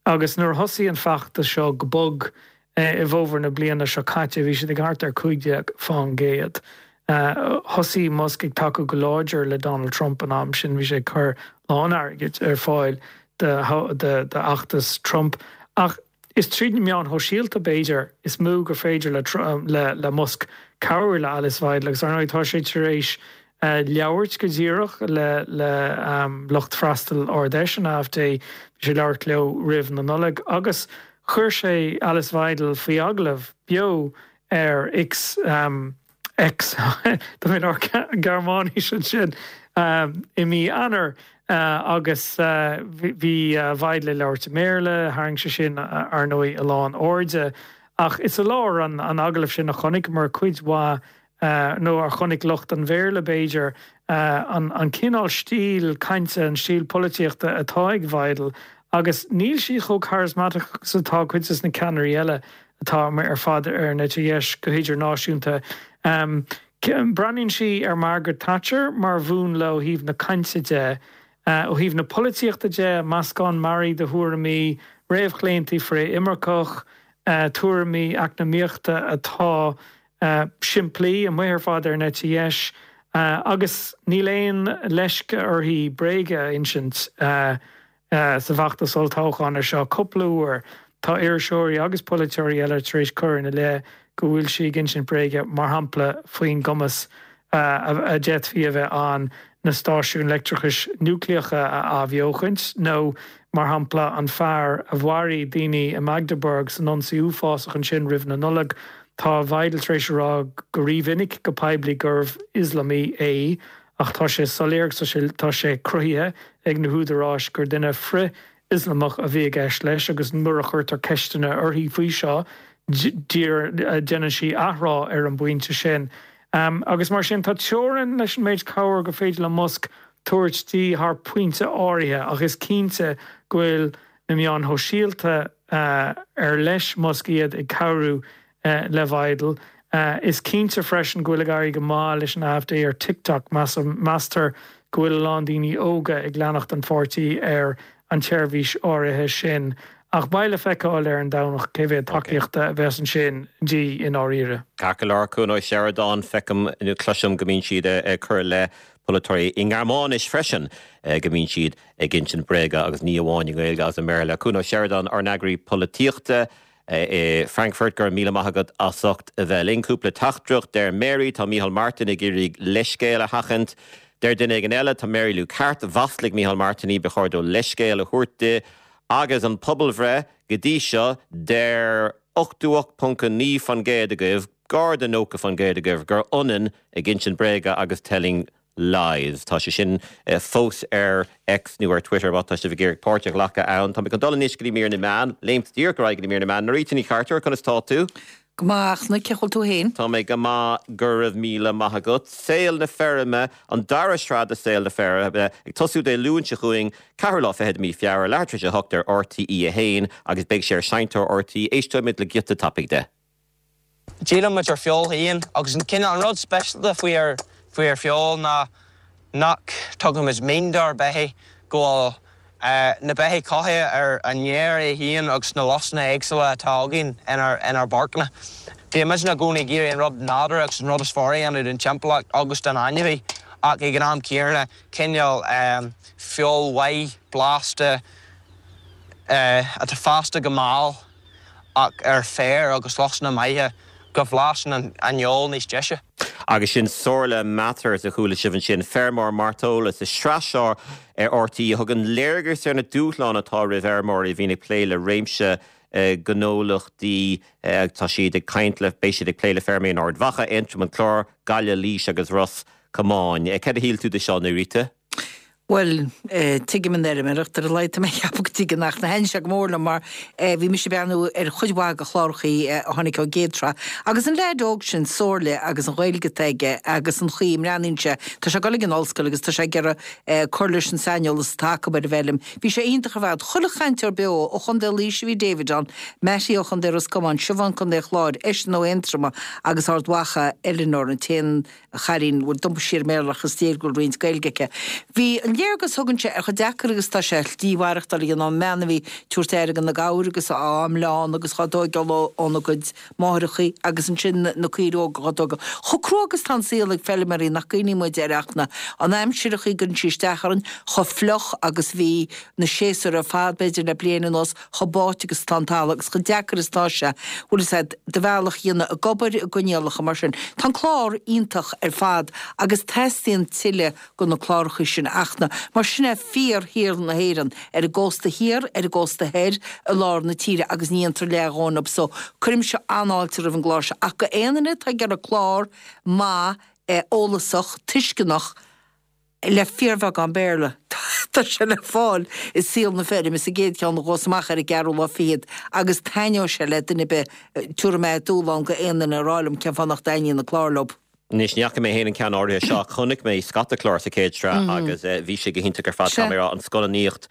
agus nuair a thosaigh an feachtas seo go bog i bhfómhar na bliana seo caite, bhí siad ag thart ar cúig déag faoin gcéad. Thosaigh Musk ag tacú go láidir le Donald Trump an am sin, bhí sé ag cur a lán airgid ar fáil d'fheachtas Trump. Ach is tríd na meáin shóisialta, b'fhéidir, is mó gur féidir le le Musk cabhrú le Alice Weidel agus ar ndóigh tá sé tar éis labhairt go díreach le le lucht freastail Ard-Fheis an AfD, bhí sé ag labhairt leo roimh na Nollag agus chuir sé Alice Weidel faoi agallamh beo ar X. X, tá mé ag labhairt Gearmáinis ansin, i mí Eanáir agus bhí Weidel ag labhairt i mBéarla, tharraing sé sin ar ndóigh a lán airde. Ach is i lár an agallaimh sin a chonaiceamar cuid mhaith, nó a chonaic lucht an Bhéarla b'fhéidir, an cineál stíl cainte, an stíl polaitíochta atá ag Weidel agus níl sí chomh charismatic agus atá cuid de na ceannairí eile atá amuigh ar fad ar an eite dheis go hidirnáisiúnta. Breathnaíonn sí ar Margaret Thatcher mar mhúnla ó thaobh na cainte de. Ó thaobh na polaitíochta de, meascán mearaí de thuairimí, réamhchlaontaí frith-imirceach, tuairimí eacnamaíochta atá simplí, amuigh ar fad ar an eite dheis, agus níl aon leisce uirthi bréaga a insint. Sa bhfeachtas olltoghcháin seo cúpla uair, tá iriseoirí agus polaiteoirí eile tar éis cur ina leith go bhfuil sí ag insint bréige, mar shampla faoin gcumas a d'fhéadfaí a bheith ann na stáisiúin leictreachais núicléacha a athbheochaint, nó mar shampla an fear a mharaigh daoine i Magdeburg san ionsaí uafásach ansin roimh na Nollag. Tá Weidel tar éis a rá go rímhinic go poiblí gurbh Ioslamaí é. Ach tá sé soiléir agus tá sé cruthaithe ag na húdaráis gur duine frith-Ioslamach a bhí i gceist leis agus nuair a chuirtear ceisteanna uirthi faoi seo, déanann sí athrá ar an bpointe sin. Agus mar sin, tá teorainn leis an méid cabhair gur féidir le Musk tabhairt di thar pointe áirithe ach is cinnte go bhfuil na meáin shóisialta ar leis Musk iad ag cabhrú le Weidel. Is cinnte freisin go bhfuil ag éirí go maith leis an AfD ar TikTok. Meastar go bhfuil a lán daoine óga ag leanacht an pháirtí ar an tseirbhís áirithe sin. Ach beidh le feiceáil ar an Domhnach cé mhéad tacaíochta a bheas ansin di i ndáiríre. Ceart go leor, Cuan Ó Seireadáin, feicim nó cloisim go mbíonn siad ag cur i leith polaiteoirí i nGearmáinis freisin, go mbíonn siad ag insint bréaga agus ní amháin i nGaeilge agus i mBéarla. Cuan Ó Seireadáin, ár n-eagraí polaitíochta. I Frankfurt, go raibh míle maith agat as ucht a bheith linn. Cúpla teachtaireacht, deir Mary, tá Micheál Martin ag iarraidh leithscéal a sheachaint. Deir duine éigin eile, tá Mary Lou ceart, mhaslaigh Micheál Martin í, ba chóir dó leithscéal a thabhairt di. Agus an pobalbhreith go dtí seo, deir ochtó ocht ponc a naoi faoin gcéad agaibh, gar do nócha faoin gcéad agaibh, gur ionann ag insint bréaga agus telling Lies. Tá sé sin fós ar X nó ar Twitter má tá sibh ag iarraidh páirt a ghlacadh ann. Tá mé chun dul anois go dtí mír na meán, léimt díreach ar aghaidh go dtí mír na meán. Norita Ní Chartúir, conas tá tú? Go maith a Fhachtna, cén chaoi a bhfuil tú féin? Tá mé go maith, go raibh míle maith agat. Saol na Feirme, an dara sraith de Saol na Feirme, ag tosú Dé Luain seo chugainn, ceathrú lá fichead de mí Feabhra, leathuair tar éis a hocht ar RTE a haon agus beidh sé ar Seinnteoir RTÉ. Éisteoimid le giota tapaidh de. Díolann muid ár bhfeoil féin agus an cineál an rud speisialta faoi ár faoi ár bhfeoil ná nach dtugann muid mil dár mbeithígh go bhfuil na beithígh cothaithe ar an fhéar é féin agus na lusanna éagsúla atá againn inár inár bpáirceanna. Bíonn muid i gcónaí ag iarraidh an rud nádúrtha agus an rud is fearr a dhéanamh don timpeallacht agus don ainmhí ach ag an am céanna cineál feoil mhaith blasta atá fásta go mall ach ar féar agus lusanna maithe go bhlasann an fheoil níos deise. Agus sin Somhairle Mathers a chuala sibh ansin, feirmeoir mairteola sa sraith seo ar RTÉ a thugann léargas ar na dúshláin atá roimh fheirmeoirí a bhíonn ag plé le réimse gnólachtaí. Tá siad ag caint le, beidh siad ag plé le feirmeoirí in Ard Mhacha, Aontroim, an Clár, Gaillimh, Laois agus Ros Comáin. Céard a shíl tú de seo, Norita? Bhuel, tuigim an fheirmeoireacht ar a laghad tá mé ag ceapadh go dtuigeann ach na thaitin sé go mór liom mar bhí mise ag breathnú ar chuid mhaith de chlárachaí a tháinig ón gcéad tsraith. Agus an leaid óg sin, Somhairle, agus an Ghaeilge atá aige agus an chaoi a mbreathnaíonn sé, tá sé ag dul ag an ollscoil agus tá sé ag iarraidh cur leis an saineolas atá acu ar an bhfeirm. Bhí sé iontach ar fad. Chuile chainteoir beo ó Chontae Laoise a bhí David ann, Mattie ó Chontae Ros Comáin, Siobhán Contae Chláir, eisean ó Aontroma agus Ard Mhacha, Eleanor an t-aon chailín, bhuel d'iompaigh sí ar an mBéarla ach is léir go bhfuil roinnt Gaeilge aici. Bhí an léargas a thugann sé ar chomh deacair agus atá sé slí mhaireachtáil a dhéanamh, an mbean a bhí ag tabhairt aire do na gabhair agus á mbleán agus dhá dtóigeáil óna gcuid máithreachaí agus ansin na caoirigh óga dhá dtógáil. Chomh crua agus atá an saol ag feilméaraí nach gcuimhníonn muid air ach na an aimsir a chuireann sí isteach orainn, chomh fliuch agus bhí na séasúir ar fad b'fhéidir le bliain anuas, chomh báite agus atá an talamh agus chomh deacair is atá sé, bhfuil fhios a'd, do bhealach a dhéanamh ag obair i gcoinníollacha mar sin. Tá an clár iontach ar fad agus teastaíonn tuilleadh de na cláracha sin a Fhachtna, mar sin é fíorshaol na hÉireann, ar an gcósta thiar, ar an gcósta thoir, i lár na tíre agus ní dhéantar leathdhóthain orthu so cuirimse an-fháilte roimh an gclár seo ach go aon duine atá ag iarraidh clár maith, eolasach, tuisceanach, le fíorbheagán Béarla. Tá sé le fáil i Saol na Feirme sa gcéad cheann a ghabhfas amach ar an gceathrú lá fichead agus taitneoidh sé le duine ar bith. Tabharfaidh mé dúshlán go aon duine a rá liom cén fáth nach dtaitníonn an clár leo. Anois, ní fhaca mé féin an ceann áirithe seo, chonaic mé scata clár sa chéad sraith agus bhí sé go hiontach ar fad, caithfidh mé a rá, an scannánaíocht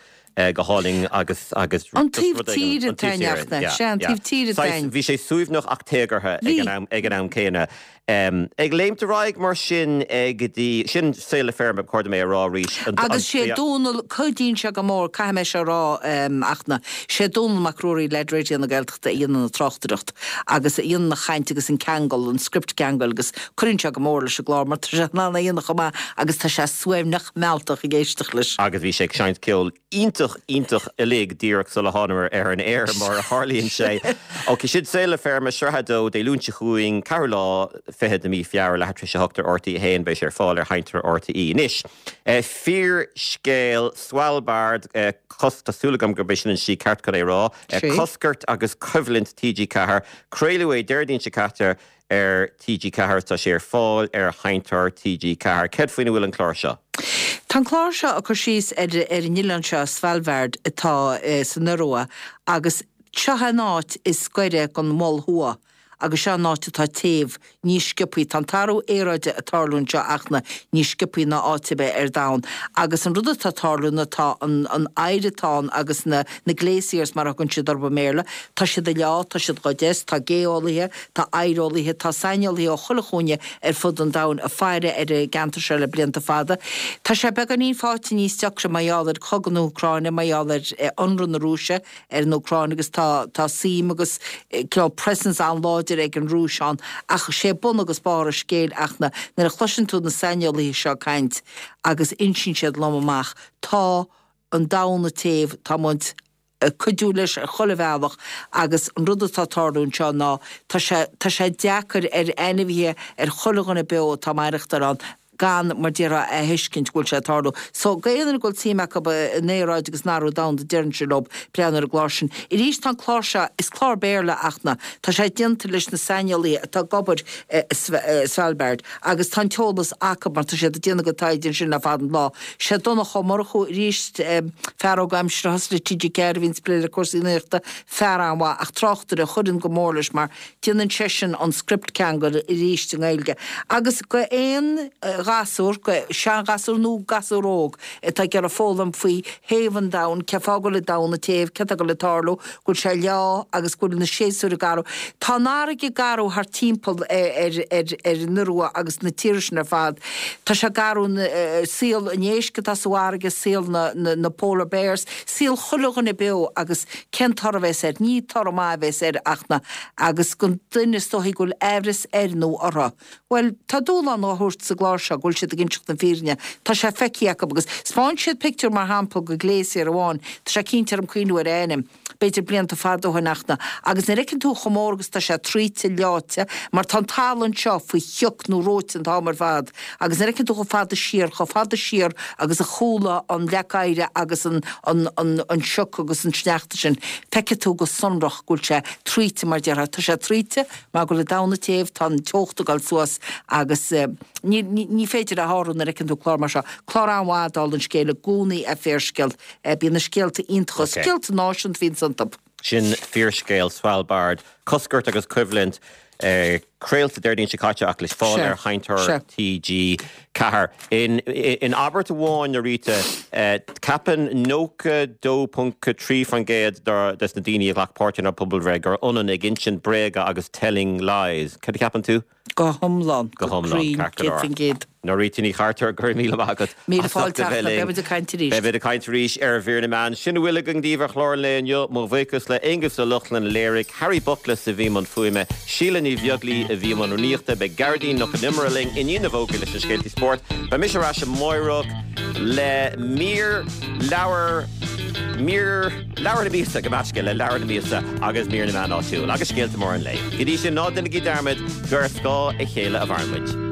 go hálainn agus agus An taobh tíre taitneamhachta, sea, an taobh tíre taitneamh. Bhí sé suaimhneach ach téagartha ag an am ag an am céanna. Ag léimt ar aghaidh mar sin go dtí, sin Saol na Feirme, ba chóir dom é a rá arís. Agus sé Dónal, cuidíonn sé go mór, caithfidh mé seo a rá, a Fhachtna, sé Dónal Mac Ruairí, leaid Raidió na Gaeltachta a dhéanann an tráchtaireacht agus a dhéanann an chaint agus an ceangal, an script ceangail agus cuireann sé go mór leis an gclár mar tá sé in ann é a dhéanamh chomh maith agus tá sé suaimhneach mealltach ag éisteacht leis. Agus bhí sé ag seinnt ceoil iontach, iontach uilig díreach sula thánamar ar an aer mar a tharlaíonn sé. Ok, sin Saol na Feirme, sraith a dó, Dé Luain seo chugainn, ceathrú lá fichead de mí Feabhra, leathuair tar éis a hocht ar RTÉ a haon, beidh sé ar fáil ar sheinnteoir RTÉ. Anois, fíorscéal Svalbard, cos, tá súil agam gurb é sin an slí ceart chun é a rá, Coscairt agus Coimhlint TG Ceathair, craoladh é Déardaoin seo caite ar TG Ceathair, tá sé ar fáil ar sheinnteoir TG Ceathair. Céard faoina bhfuil an clár seo? Tá an clár seo ag cur síos ar ar an oileán seo, Svalbard, atá san Iorua agus seo an áit is gaire don Mhol Thuaidh agus seo an áit atá téamh níos sciobthaí. Tá an t-athrú aeráide ag tarlú anseo a Fhachtna níos sciobthaí ná áit ar bith ar domhan agus an rud atá ag tarlú ná tá an an oighear atá ann agus na na glaciers mar a thugann siad orthu i mBéarla, tá siad ag leá, tá siad dhá dteas, tá gé-eolaithe, tá oigheareolaithe, tá saineolaithe ó chuile chúinne ar fud an domhain ag faire ar an gceantar seo le blianta fada. Tá sé beagáinín faighte níos deacra mar gheall ar chogadh na hÚcráine, mar gheall ar ionradh na Rúise ar an Úcráin agus tá tá suim agus cineál presence an-láidir ag an Rúis ann ach sé bun agus barr an scéil a Fhachtna nuair a chloiseann tú na saineolaithe seo ag caint agus insíonn siad lom amach tá an domhan ag téamh, tá muid ag cuidiú leis ar chuile bhealach agus an rud atá ag tarlú anseo ná tá sé tá sé deacair ar ainmhithe ar chuile dhuine beo atá ag maireachtáil ann. gan mar déarfá a thuiscint go bhfuil sé ag tarlú. So go aon duine go bhfuil suim acu in aeráid agus in athrú domhanda déarfainnse leo breathnú ar an gclár sin. Arís tá an clár seo, is clár Béarla ach na, tá sé déanta leis na saineolaithe atá ag obair i Svalbard agus tá an t-eolas acu mar tá siad ag déanamh a gcuid taighde ansin le fada an lá. Sé Donncha Ó Murchú arís, fear óg aimsire a thosaigh le TG Ceathair a bhíonns ag plé le cúrsaí nuachta, fear an-mhaith ach tráchtaire a chuireann go mór leis mar déanann seisean an script ceangail arís i nGaeilge. Agus go aon ghasúr, go seanghasúr nó gasúr óg atá ag iarraidh foghlaim faoi théamh an domhain, cén fáth go bhfuil an domhan ag téamh, céard atá ag dul ag tarlú, go bhfuil sé ag leá agus go bhfuil na séasúir ag athrú. Tá an fharraige ag athrú thart timpeall ar ar an Iorua agus na tíortha sin ar fad. Tá sé ag athrú saol an éisc atá sa bhfarraige, saol na na polar bears, saol chuile dhuine beo agus cén toradh a bheas air? Ní toradh maith a bheas air ach na agus don duine is dóichí go bhfuil aimhreas air nó orthu. Bhuel, tá dúshlán á thabhairt sa gclár seo go bhfuil siad ag inseacht na fírinne. Tá sé feicthe acu agus 'spáin siad pictiúr mar shampla de glacier amháin, tá sé cinnte orm cuimhniú ar a ainm, b'fhéidir blianta fada ó shin ach na, agus nuair a fheiceann tú chomh mór agus tá sé traoite, leáite, mar tá an talamh anseo faoi shioc nó reoite an t-am ar fad, agus nuair a fheiceann tú chomh fada siar, chomh fada siar agus a chuala an leac oighir agus an, an, an, an sioc agus an sneachta sin, feicfidh tú go sonrach go bhfuil sé traoite mar déarfá, tá sé traoite mar go bhfuil an domhan ag téamh, tá an teocht ag dul suas agus ní, ní, ní féidir a shárú nuair a fheiceann tú clár mar seo. Clár an-mhaith dála an scéil i gcónaí é Fíorscéal. Bíonn na scéalta iontacha, scéalta náisiúnta a bhíonns iontu. Sin Fíorscéal Svalbard, Coscairt agus Coimhlint, craolta Déardaoin seo caite ach le fáil ar Sheinnteoir T G ceathair. In in abairt amháin, a Rita, ceapann nócha dó ponc trí faoin gcéad des na daoine a ghlac páirt inár bpobalbhreith gur ionann ag insint bréaga agus telling lies. Cad a cheapann tú? Go hiomlán. Go hiomlán, ceart go leor. Céad faoin gcéad. Norita Ní Chartúir, go raibh míle maith agat Míle as ucht fáilte a bheith Fachtna, linn. beidh muid ag caint arís. Beidh muid ag caint arís ar Mhír na Meán. Sin a bhfuil againn daoibh ar chlár an lae inniu. Mo bhuíochas le Aonghus Ó Lochlainn a léirigh, Harry Buckles a bhí i mbun fuaime, Síle Ní Bheaglaoí a bhí i mbun rúnaíochta. Beidh Gearóidín Nic Con Iomaire linn i ndiaidh na bhfógraí leis na scéaltaí spóirt. Beidh mise ar ais amáireach le mír leabhar, mír leabhar na míosa, gabh mo leithscéal, le leabhar na míosa agus mír na meán áitiúil agus scéalta móra an lae. Go dtí sin, ná déanaigí dearmad gur ar scáth a chéile a mhaireann muid.